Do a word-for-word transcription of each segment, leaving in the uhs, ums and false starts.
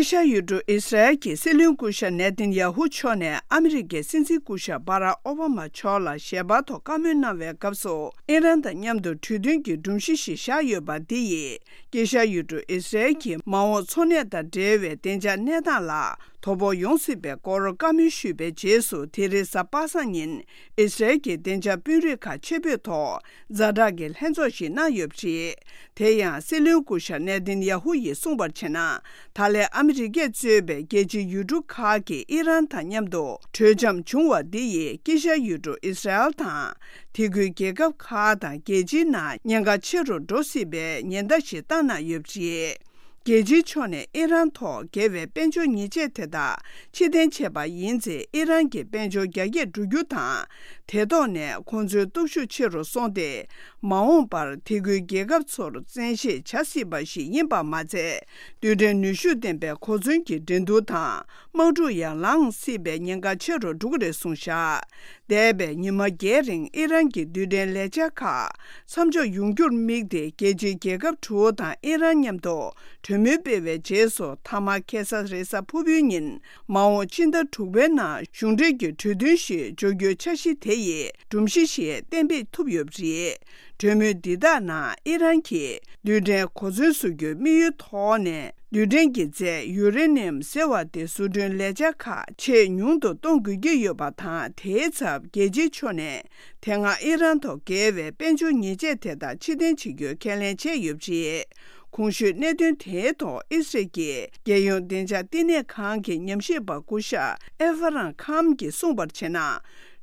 དཀྱིལ་ཤར་ཡུལ་གྲུ་ཨི་སི་རལ་གྱི་སྲིད་བློན་སྐུ་ཞབས་ནེ་ཐན་ཡ་ཧུ་མཆོག་ནས་ཨ་མི་རི་ཀའི་སྲིད་འཛིན་སྐུ་ཞབས་བྷ་རག་ཨོ་བྷ་མ་མཆོག་ལ་ཞལ་པར་ཐོག་བཀའ་མོལ་གནང་བའི་སྐབས་སུ། ཨི་རན་དང་མཉམ་དུ་གྲོས་མཐུན་གྱི་སྒྲོམ་གཞི་ཞིག་བཞག་ཡོད་པ་འདི་ཡིས། དཀྱིལ་ཤར་ཡུལ་གྲུ་ཨི་སི་རལ་གྱི་མ་འོངས་འཚོ་གནས་དང་འབྲེལ་བའི་བདེ་འཇགས་གནས་སྟངས་ལ་དོ་ཕོག་ཡོང་སྲིད་པའི་སྐོར་བཀའ་མོལ་ཞུས་པའི་རྗེས་སུ། དེ་རིང་གཟའ་པ་སངས་ཉིན་ཨི་སི་རལ་གྱི་བདེ་འཇགས་དཔོན་རིགས་ཁག་ཆེད་ཕེབས་ཐོག་ཛ་དྲག་གི་ལྷན་ཚོགས་ཤིག་གནང་ཡོད་པ་རེད། དེ་ཡང་སྲིད་བློན་སྐུ་ཞབས་ནེ་ཐན་ཡ་ཧུ་ཡིས་གསུངས་པར་བྱས་ན། ད་ལན་ཨ་མི་རི་ཀས་གཙོས་པའི་རྒྱལ་སྤྱིའི་ཡུལ་གྲུ་ཁག་གིས་ཨི་རན་དང་མཉམ་དུ་གྲོས་འཆམ་བྱུང་བ་འདི་ཡིས་དཀྱིལ་ཤར་ཡུལ་གྲུ་ཨི་སི་རལ་དང་། དེ་ཁུལ་རྒྱལ་ཁབ་ཁག་དང་རྒྱལ་སྤྱིའི་ནང་ཉེན་ཁ་ཆེ་རུ་འགྲོ་སྲིད་པའི་ཉེན་བརྡ་ཞིག་བཏང་གནང་ཡོད་པ་རེད། རྒྱལ་སྤྱིའི་ཕྱོགས་ནས་ཨི་རན་ཐོག་འགེལ་བའི་དཔལ་འབྱོར་ཉེས་ཆད་དེ་དག་ཕྱིར་འཐེན་བྱས་པ་ཡིན་ཚེ། ཨི་རན་གྱི་དཔལ་འབྱོར་རྒྱ་སྐྱེད་འགྲོ་རྒྱུ་དང་། དེ་ཐོག་ནས་ཁོང་ཚོའི་སྟོབས་ཤུགས་ཆེ་རུ་སོང་སྟེ། མ་འོངས་པར་དེ་ཁུལ་རྒྱལ་ཁབ་ཚོར་བཙན་ཤེད་བྱ་སྲིད་པ་ཞིག་ཡིན་པ་མ་ཚད། རྡུལ་ཕྲན་ནུས་ཤུགས་ལྡན་པའི་གོ་མཚོན་གྱི་འགྲན་བསྡུར་དང་། དམག་འཁྲུག་ཡང་ལངས་སྲིད་པའི་ཉེན་ཁ་ཆེ་རུ་འགྲོ་གི་རེད་གསུངས་བཞག་འདས་པའི་ཉི་མ་བརྒྱད་རིང་ཨི་རན་གྱི་རྡུལ་ཕྲན་ལས་འཆར་ཁག་མཚམས་འཇོག་ཡོང་རྒྱུར་དམིགས་ཏེ། རྒྱལ་སྤྱིའི་རྒྱལ་ཁབ་དྲུག་དང་ཨི་རན་མཉམ་དུ་གྲོས་མོལ་སྤེལ་བའི་རྗེས་སུ། མཐའ་མ་ཁ་སང་རེས་གཟའ་ཕུར་བུའི་ཉིན། མ་འོངས་ཕྱི་ཟླ་དྲུག་པའི་ནང་གཞུང་འབྲེལ་གྱི་གྲོས་མཐུན་ཞིག་འཇོག་རྒྱུའི་འཆར་གཞི་དེ་ཡི་སྒྲོམ་གཞི་ཞིག་གཏན་འབེབས་ཐུབ་ཡོད་པ་རེད། གྲོས་མོལ་འདི་དག་ནང་ཨི་རན་གྱིས་རྡུལ་ཕྲན་གོ་མཚོན་བཟོ་རྒྱུའི་དམིགས་ཡུལ་ཐོག་ནས། རྡུལ་ཕྲན་གྱི་རྫས་ཡུ་རེ་ནི་ཡམ་ཟེར་བ་དེ་བཟོ་སྐྲུན་ལས་འཆར་ཁག་ཆེས་ཉུང་དུ་གཏོང་དགོས་ཀྱི་ཡོད་པ་དང་། དེའི་ཚབ་རྒྱལ་སྤྱིའི་ཕྱོགས་ནས་དེ་སྔ་ཨི་རན་ཐོག་འགེལ་བའི་དཔལ་འབྱོར་ཉེས་ཆད་དེ་དག་ཕྱིར་འཐེན་བྱེད་རྒྱུའི་ཁས་ལེན་བྱས་ཡོད་པ་རེད། གོང་ཞུས་གནད་དོན་དེའི་ཐོག་ཨི་སི་རལ་གྱི་རྒྱལ་ཡོངས་བདེ་འཇགས་བསྟི་གནས་ཁང་གི་ཉམས་ཞིབ་པ་སྐུ་ཞབས་ཨེ་ཧྥ་རན་ཁམ་གྱིས་གསུངས་པར་བྱས་ན།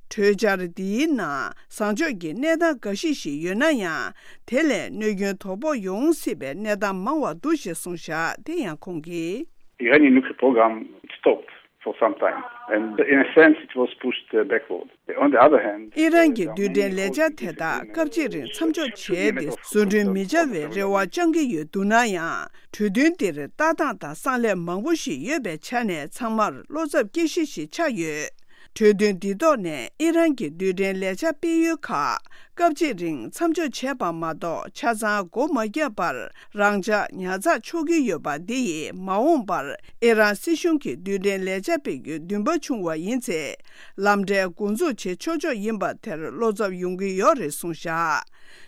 གྲོས་འཆར་འདིའི་ནང་བཟང་ཕྱོགས་ཀྱི་གནས་སྟངས་འགའ་ཞིག་ཞིག་ཡོད་ན་ཡང་། དེ་ལས་གནོད་སྐྱོན་དོ་ཕོག་ཡོང་སྲིད་པའི་གནས་སྟངས་མང་བ་འདུག་ཞེས་གསུངས་བཞག་དེ་ཡང་ཁོང་གིས། Iranian nuclear program stopped for some time, and in a sense, it was pushed uh, backward. On the other hand, ཨི་རན་གྱི་རྡུལ་ཕྲན་ལས་འཆར་དེ་དག་སྐབས་གཅིག་རིང་མཚམས་འཇོག་བྱས་ཏེ། བཟོ་སྐྲུན་མི་བྱ་བའི་རེ་བ་བཅང་གི་ཡོད་འདུག་ན་ཡང་། གྲོས་མཐུན་འདིར་ལྟ་སྟངས་དང་བསམ་ལས་མང་པོ་ཞིག་ཡོད་པའི་ཆ་ནས། ཚང་མར་བློ་འཚབ་སྐྱེ་གཞི་ཞིག་ཆགས་ཡོད། གྲོས་མཐུན་འདི་ཐོག་ནས་ཨི་རན་གྱི་རྡུལ་ཕྲན་ལས་འཆར་སྤེལ་ཡུལ་ཁག་སྐབས་གཅིག་རིང་མཚམས་འཇོག་བྱས་པ་མ་གཏོགས། ཆ་ཚང་སྒོ་མ་བརྒྱབ་པར་རང་འཇགས་ཉར་ཚགས་ཆོག་གི་ཡོད་པ་འདི་ཡིས། མ་འོངས་པར་ཨི་རན་སྲིད་གཞུང་གིས་རྡུལ་ཕྲན་ལས་འཆར་སྤེལ་རྒྱུའི་འདུན་པ་བྱུང་བ་ཡིན་ཚེ། ལམ་འབྲས་འགོ་འཛུགས་བྱེད་ཆོག་ཆོག་ཡིན་པ་དེར་བློ་འཚབ་ཡོང་གི་ཡོད་རེད་གསུངས་བཞག་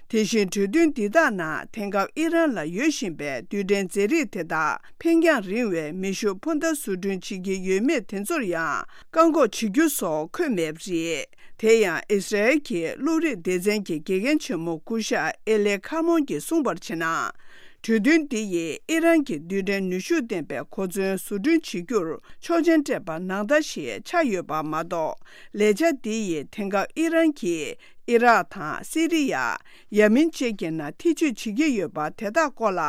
དེ་བཞིན་གྲོས་མཐུན་འདི་དག་ནང་དེང་སྐབས་ཨི་རན་ལ་ཡོད་བཞིན་པའི་རྡུལ་ཕྲན་རྫས་རིགས་དེ་དག་འཕེན་རྒྱང་རིང་བའི་མེ་ཤུགས་འཕུར་མདའ་བཟོ་སྐྲུན་བྱེད་ཀྱི་ཡོད་མེད་དེ་ཚོར་ཡང་བཀག་འགོག་བྱེད་རྒྱུ་སོགས་འཁོད་མེད་པ་རེད། དེ་ཡང་ཨི་སི་རལ་གྱི་གློག་རིག་སྡེ་ཚན་གྱི་དགེ་རྒན་ཆེན་མོ་སྐུ་ཞབས་ཨེ་ལེ་ཁ་མོན་གྱིས་གསུངས་པར་བྱས་ན། གྲོས་མཐུན་འདི་ཡིས་ཨི་རན་གྱི་རྡུལ་ཕྲན་ནུས་ཤུགས་ལྡན་པའི་གོ་མཚོན་བཟོ་སྐྲུན་བྱེད་རྒྱུར་ཆོག་མཆན་སྤྲད་པ་ནང་ལྟར་ཞིག་ཆགས་ཡོད་པ་མ་གཏོགས། ལས་འཆར་འདི་ཡིས་དེང་སྐབས་ཨི་རན་གྱིས་ཨི་རག་དང་སི་རི་ཡ། ཡ་མིན་བཅས་ཀྱི་ནང་ཐེ་བྱུས་བྱེད་ཀྱི་ཡོད་པ་དེ་དག་སྐོར་ལ་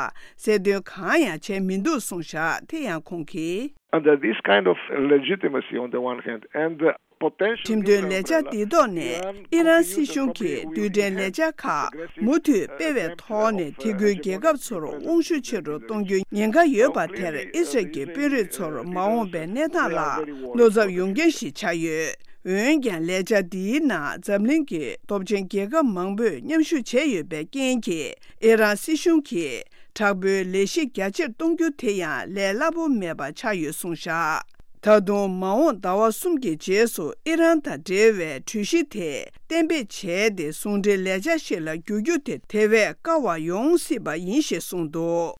གསལ་སྟོན་གང་ཡང་བྱས་མི་འདུག་གསུངས་བཞག་དེ་ཡང་ཁོང་གིས། Under this kind of legitimacy on the one hand and the potential ཁྲིམས་མཐུན་ལས་འཆར་འདིའི་ཐོག་ནས་ཨི་རན་སྲིད་གཞུང་གིས་རྡུལ་ཕྲན་ལས་འཆར་ཁག་མུ་མཐུད་སྤེལ་བའི་ཐོག་ནས་དེ་ཁུལ་རྒྱལ་ཁབ་ཚོར་དབང་ཤུགས་ཆེ་རུ་གཏོང་རྒྱུའི་ཉེན་ཁ་ཡོད་པ་དེར་ཨི་སི་རལ་གྱི་དཔོན་རིགས་ཚོར་མ་འོངས་པའི་གནས་སྟངས་ལ་བློ་འཚབ་ཡོང་རྐྱེན་ཞིག་ཆགས་ཡོད། འོན་ཀྱང་ལས་འཆར་འདིའི་ནང་འཛམ་གླིང་གི་སྟོབས་ཆེན་རྒྱལ་ཁབ་མང་པོས་མཉམ་ཞུགས་བྱས་ཡོད་པའི་རྐྱེན་གྱིས་ཨི་རན་སྲིད་གཞུང་གིས་དྲག་པོའི་ལས་གཞི་རྒྱ་ཆེར་གཏོང་རྒྱུ་དེ་ཡང་ལས་སླ་པོ་མེད་པ་ཆགས་ཡོད་གསུངས་བཞག་ད་དུང་མ་འོངས་ཟླ་བ་གསུམ་གྱི་རྗེས་སུ་ཨི་རན་དང་འབྲེལ་བའི་གྲོས་གཞི་དེ་གཏན་འབེབས་བྱས་ཏེ། ཟུང་འབྲེལ་ལས་འཆར་ཞིག་ལ་འགྱུར་རྒྱུ་དེ་དེ་བས་དཀའ་བ་ཡོང་སྲིད་པ་ཡིན་ཞེས་གསུངས་འདུག